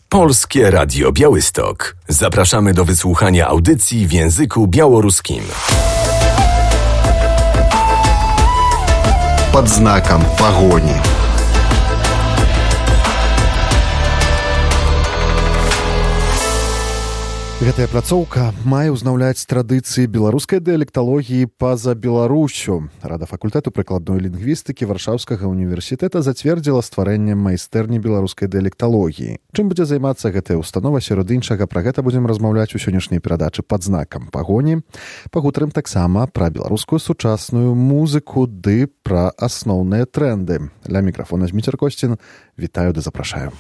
Polskie Radio Białystok. Zapraszamy do wysłuchania audycji w języku białoruskim. Под знаком погони. Гэтая пляцоўка мае ўзнаўляць традыцыі беларускай дыялекталогіі па-за Беларусю. Рада факультэту прыкладной лінгвістыкі Варшаўскага універсітэта зацвердзіла стварэнне майстэрні беларускай дыялекталогіі. Чым будзе займацца гэтая установа, сярод іншага, пра гэта будзем размаўляць у сённяшняй перадачы «Пад знакам пагоні». Пагутарым таксама пра беларускую сучасную музыку ды пра асноўныя трэнды. Ля мікрафона Зміцер Косцін. Вітаю ды запрашаю.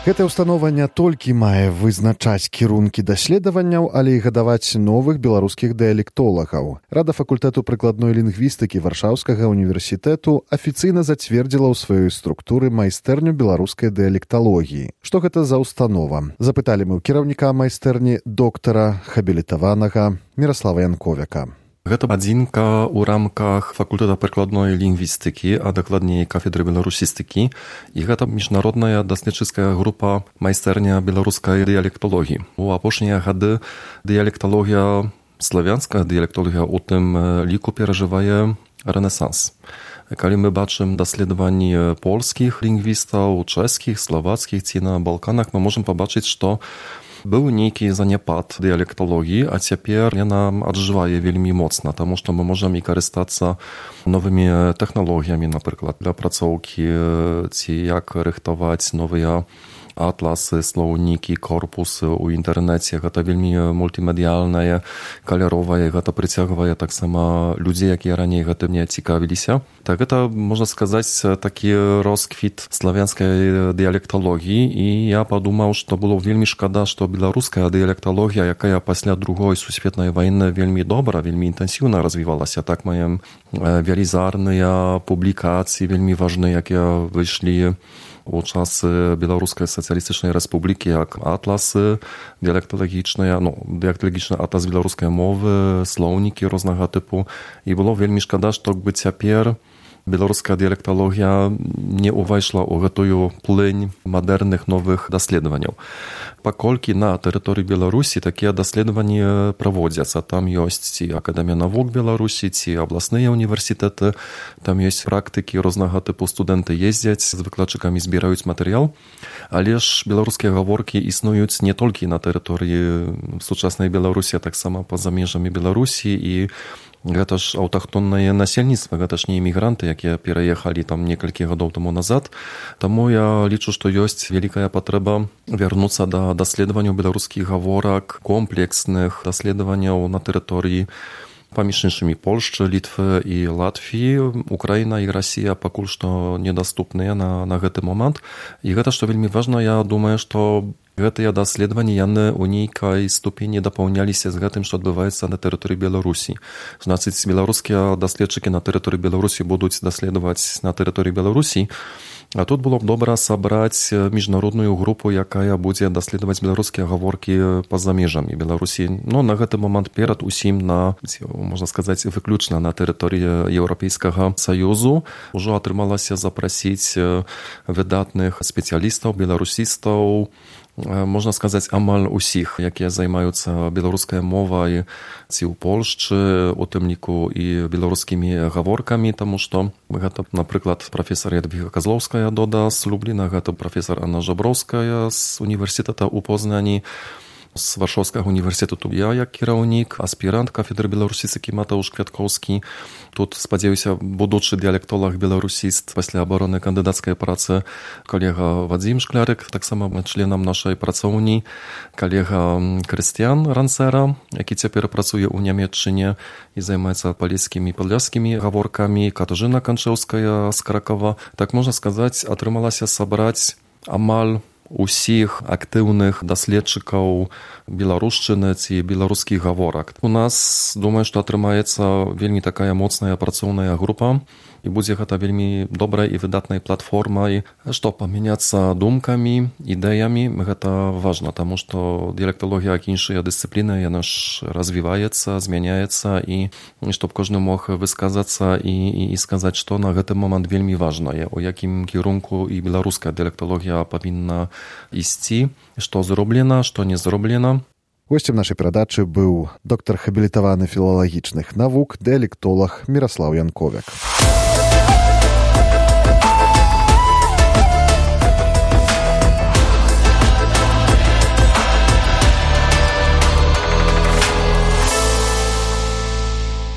Гэтая установа не толькі мае вызначаць кірункі даследаванняў, але і гадаваць новых беларускіх дыялектолагаў. Рада факультэту прыкладной лінгвістыкі Варшаўскага універсітэту афіцыйна зацвердзіла ў сваёй структуры майстэрню беларускай дыялекталогіі. Што гэта за установа? Запыталі мы ў кіраўніка майстэрні доктара хабілітаванага Міраслава Янковяка. Гэта адзінка ў рамках факультэта прыкладной лінгвістыкі, а дакладней кафедры беларусістыкі. І гэта міжнародная даследчыцкая група майстэрня беларускай дыялекталогіі. У апошнія гады дыялекталогія, славянская дыялекталогія у тым ліку перажывае рэнесанс. Калі мы бачым даследаванні польскіх лінгвістаў, чэшскіх, славацкіх ці на Балканах, мы можам пабачыць, што быў нейкі заняпад дыялекталогіі, а цяпер яна аджывае вельмі моцна, таму што мы можам і карыстацца новымі тэхналогіямі, напрыклад, для апрацоўкі ці як рыхтаваць новыя атласы, слоўнікі, корпусы ў інтэрнэце. Гэта вельмі мультымедыяльнае, каляровае, гэта прыцягвае таксама людзей, якія раней гэтым не цікавіліся. Так гэта, можна сказаць, такі росквіт славянскай дыялекталогіі, і я падумаў, што было вельмі шкада, што беларуская дыялекталогія, якая пасля другой сусветнай вайны вельмі добра, вельмі інтэнсіўна развівалася. Так маем велізарныя публікацыі, вельмі важныя, якія выйшлі у часы Беларускай сацыялістычнай рэспублікі, як атласы дыялекталагічныя, дыялекталагічны атлас беларускай мовы, слоўнікі рознага тыпу. І было вельмі шкада, што бы цяпер беларуская дыялекталогія не ўвайшла ў гэтую плынь мадэрных новых даследаванняў. Паколькі на тэрыторыі Беларусі такія даследаванні праводзяцца. Там ёсць ці Акадэмія навук Беларусі, ці абласныя універсітэты, там ёсць практыкі рознага тыпу, студэнты ездзяць, з выкладчыкамі збіраюць матэрыял. Але ж беларускія гаворкі існуюць не толькі на тэрыторыі сучаснай Беларусі, а таксама па-за межамі Беларусі, і гэта ж аўтахтоннае насельніцтва, гэта ж не імігранты, якія пераехалі там некалькі гадоў таму назад. Таму я лічу, што ёсць вялікая патрэба вярнуцца да даследаванняў беларускіх гаворак, комплексных даследаванняў на тэрыторыі паміж іншымі Польшчы, Літвы і Латвіі. Украіна і Расія пакуль што недаступныя на гэты момант. І гэта, што вельмі важна, я думаю, што гэтыя даследаванні яны ў нейкай ступені дапаўняліся з гэтым, што адбываецца на тэрыторыі Беларусі. Значыць, беларускія даследчыкі на тэрыторыі Беларусі будуць даследаваць на тэрыторыі Беларусі. А тут было б добра сабраць міжнародную групу, якая будзе даследаваць беларускія гаворкі па-за межамі Беларусі. На гэты момант перад усім можна сказаць, выключна на тэрыторыі Еўрапейскага Саюзу. Ужо атрымалася запрасіць выдатных спецыялістаў, беларусістаў, можна сказаць, амаль усіх, якія займаюцца беларускай мовай ці ў Польшчы, у тым ліку і беларускімі гаворкамі, таму што гэта, напрыклад, прафесар Ядвіга Казлоўская Дода з Любліна, гэта прафесар Анна Жаброўская з універсітэта ў Познані, з Варшаўскага універсітэту я, як кіраўнік, аспірант кафедры беларусістыкі Матeusz Квяткоўскі. Тут, спадзяюся, будучы дыялектолаг беларусіст пасля абароны кандыдацкай працы калега Вадзім Шклярык, таксама членам нашай працоўні, калега Крыстіян Ранцера, які цяпер працуе ў Нямецчыне і займаецца палескімі і падляшскімі гаворкамі, Катажына Канчэўская з Кракова. Так можна сказаць, атрымалася сабраць амаль усіх актыўных даследчыкаў беларушчыны ці беларускіх гаворак. У нас, думаю, што атрымаецца вельмі такая моцная працоўная група, і будзе гэта вельмі добрай і выдатнай платформай, што памяняцца думкамі, ідэямі. Гэта важна, таму што дыялекталогія, як іншыя дысцыпліны, яна ж развіваецца, змяняецца, і чтоб кожны мог высказацца і сказаць, што на гэты момант вельмі важнае, у якім кірунку і беларуская дыялекталогія павінна ісці, што зроблена, што не зроблена. Госцем нашай перадачы быў доктар хабілітаваны філалагічных навук, дыялектолаг Міраслаў Янковяк.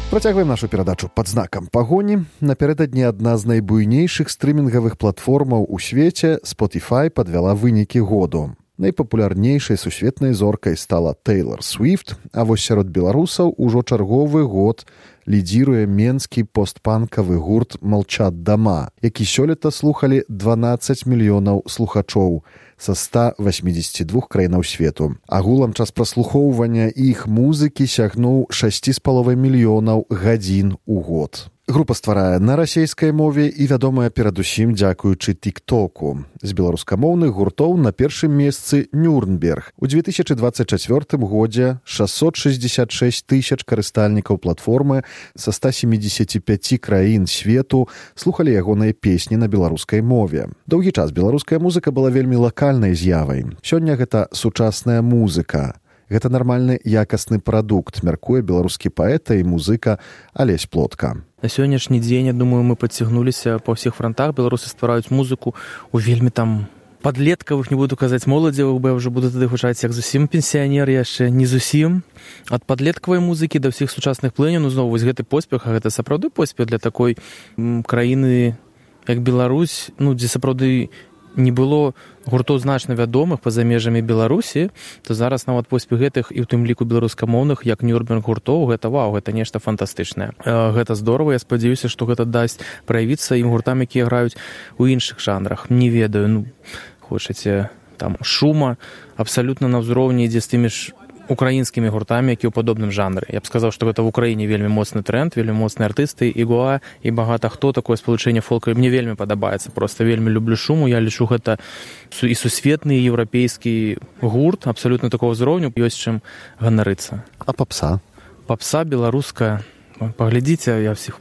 Працягваем нашу перадачу пад знакам пагоні. Напярэдадні адна з найбуйнейшых стрымінгавых платформаў у свеце, Spotify, падвяла вынікі году. Найпапулярнейшай сусветнай зоркай стала Тейлор Свіфт, а вось сярод беларусаў ужо чарговы год лідзіруе менскі постпанкавы гурт «Молчат дома», які сёлета слухалі 12 мільёнаў слухачоў са 182 краінаў свету. Агулам час праслухоўвання іх музыкі сягнуў 6,5 мільёнаў гадзін у год. Група стварае на расейскай мове і вядомая перадусім дзякуючы тик-току. З беларускамоўных гуртоў на першым месцы Нюрнберг. У 2024 годзе 666 тысяч карыстальнікаў платформы са 175 краін свету слухалі ягоныя песні на беларускай мове. Доўгі час беларуская музыка была вельмі лакальнай з'явай. Сёння гэта сучасная музыка. Гэта нармальны якасны прадукт, мяркуе беларускі паэт і музыка Алесь Плотка. На сённяшні дзень, я думаю, мы падцягнуліся па ўсіх франтах. Беларусы ствараюць музыку у вельмі там падлеткавых, не буду казаць моладзевых, бо я ўжо буду тады гучаць як зусім пенсіянер, яшчэ не зусім. Ад падлеткавай музыкі да ўсіх сучасных плыняў, ну зноў вось гэты поспех, а гэта сапраўды поспех для такой краіны, як Беларусь, ну дзе сапраўды не было гуртоў значна вядомых па-за межамі Беларусі, то зараз нават поспех гэтых і ў тым ліку беларускамоўных, як Нюрнберг гуртоў, гэта вау, гэта нешта фантастычнае. Гэта здорава, я спадзяюся, што гэта дасць праявіцца ім гуртам, якія граюць у іншых жанрах. Не ведаю, ну, хочаце там шума, абсалютна на ўзроўні ідзе з тымі ж украінскімі гуртамі, які ў падобным жанры. Я б сказаў, што гэта в Украіне вельмі моцны тренд, вельмі моцныя артысты, Ігуа і багата хто, такое спалучэнне фолка мне вельмі падабаецца. Просто вельмі люблю шуму, я лічу гэта і сусветны еўрапейскі гурт, абсалютна такого ўзроўню, ёсць чым ганарыцца. А папса? Папса беларуская. Паглядзіце, я всіх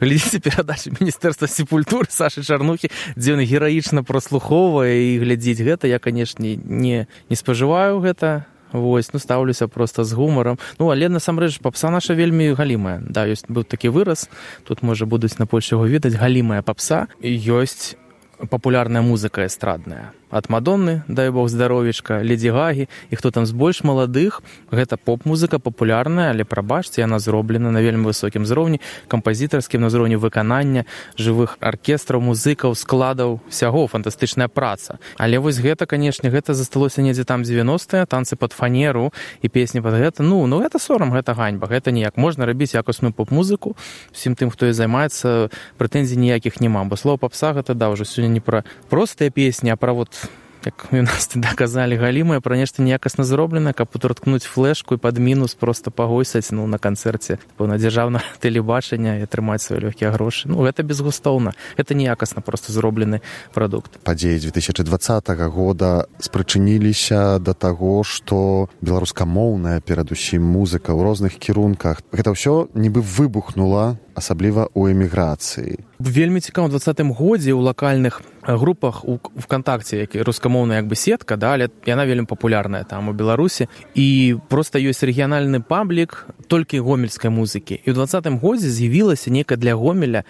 глядзіце перадачы Міністэрства культуры Сашы Чарнухі, дзе ён гераічна праслухоўвае і глядзіць гэта. Я, канешне, не спажываю гэта. Вось, ну, стаўлюся проста з гумарам. Ну, але, насамрэч, папса наша вельмі галімая. Да, ёсць быў такі выраз, тут, можа, будуць на Польше яго ведаць, галімая папса. І ёсць папулярная музыка эстрадная. Ад Мадонны, дай бог здаровечка, Леді Гагі, і хто там з больш маладых, гэта поп-музыка папулярная, але, прабачце, яна зроблена на вельмі высокім узроўні, кампазітарскім, на ўзроўні выканання, жывых аркестраў, музыкаў, складаў, усяго, фантастычная праца. Але вось гэта, канешне, гэта засталося недзе там 90-е, танцы пад фанеру і песні пад гэта. Ну, гэта сорам, гэта ганьба, гэта ніяк. Можна рабіць якасную поп-музыку, усім тым, хто і займаецца, прэтэнзій ніякіх няма, бо слова папса гэта, да, ўжо сёння не пра простыя песні, а пра вот як у нас тады казалі, галімая, пра нешта неякасна зроблена, каб уткнуць флешку і пад мінус проста пагойсаць, ну, на канцэрце на дзяржаўнае тэлебачанне і атрымаць свае лёгкія грошы. Ну, гэта безгустоўна. Гэта неякасна проста зроблены прадукт. Падзеі 2020 года спрычыніліся да таго, што беларускамоўная, перадусім музыка ў розных кірунках, гэта ўсё нібы выбухнула, асабліва ў эміграцыі. Вельмі цікава, у 2020 годзе ў лакальных групах у ВКонтакце, які рускамоўная як бы сетка, да, але яна вельмі папулярная там у Беларусі, і проста ёсць рэгіянальны паблік толькі гомельскай музыкі. І ў 2020 годзе з'явілася нейкая для Гомеля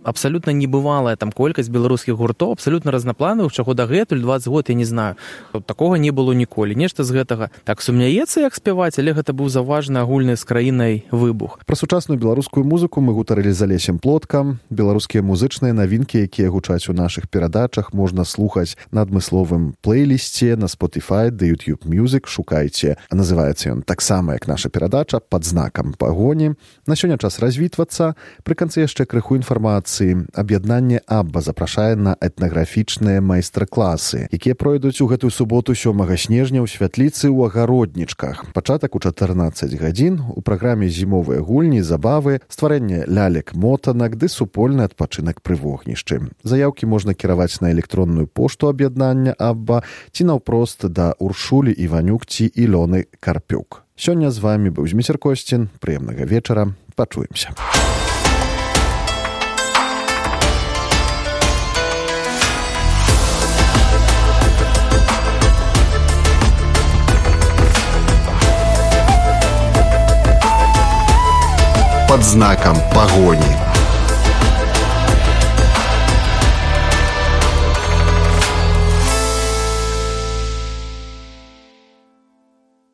абсалютна небывалая там колькасць беларускіх гуртоў, абсалютна разнапланавых, чаго дагэтуль 20 год, я не знаю. Такога не было ніколі. Нешта з гэтага так сумняецца, як спяваць, але гэта быў заўважны агульны з краінай выбух. Пра сучасную беларускую музыку мы гутарылі з Алесем Плоткам. Беларускія музычныя навінкі, якія гучаць у нашых перадачах, можна слухаць на адмысловым плейлісце на Spotify, да YouTube Music, шукайце. Называецца ён таксама, як наша перадача, пад знакам пагоні. На сёння час развітвацца. Пры канцы яшчэ крыху інфармацыі традыцыі. Аб'яднанне Абба запрашае на этнаграфічныя майстар-класы, якія пройдуць у гэтую суботу 7 снежня ў святліцы ў Агароднічках. Пачатак у 14 гадзін. У праграме зімовыя гульні, забавы, стварэнне лялек-мотанак ды супольны адпачынак пры вогнішчы. Заяўкі можна кіраваць на электронную пошту аб'яднання Абба ці наўпрост да Уршулі Іванюк ці Ілёны Карпюк. Сёння з вамі быў Зміцер Косцін. Прыемнага вечара. Пачуемся. Под знаком погони.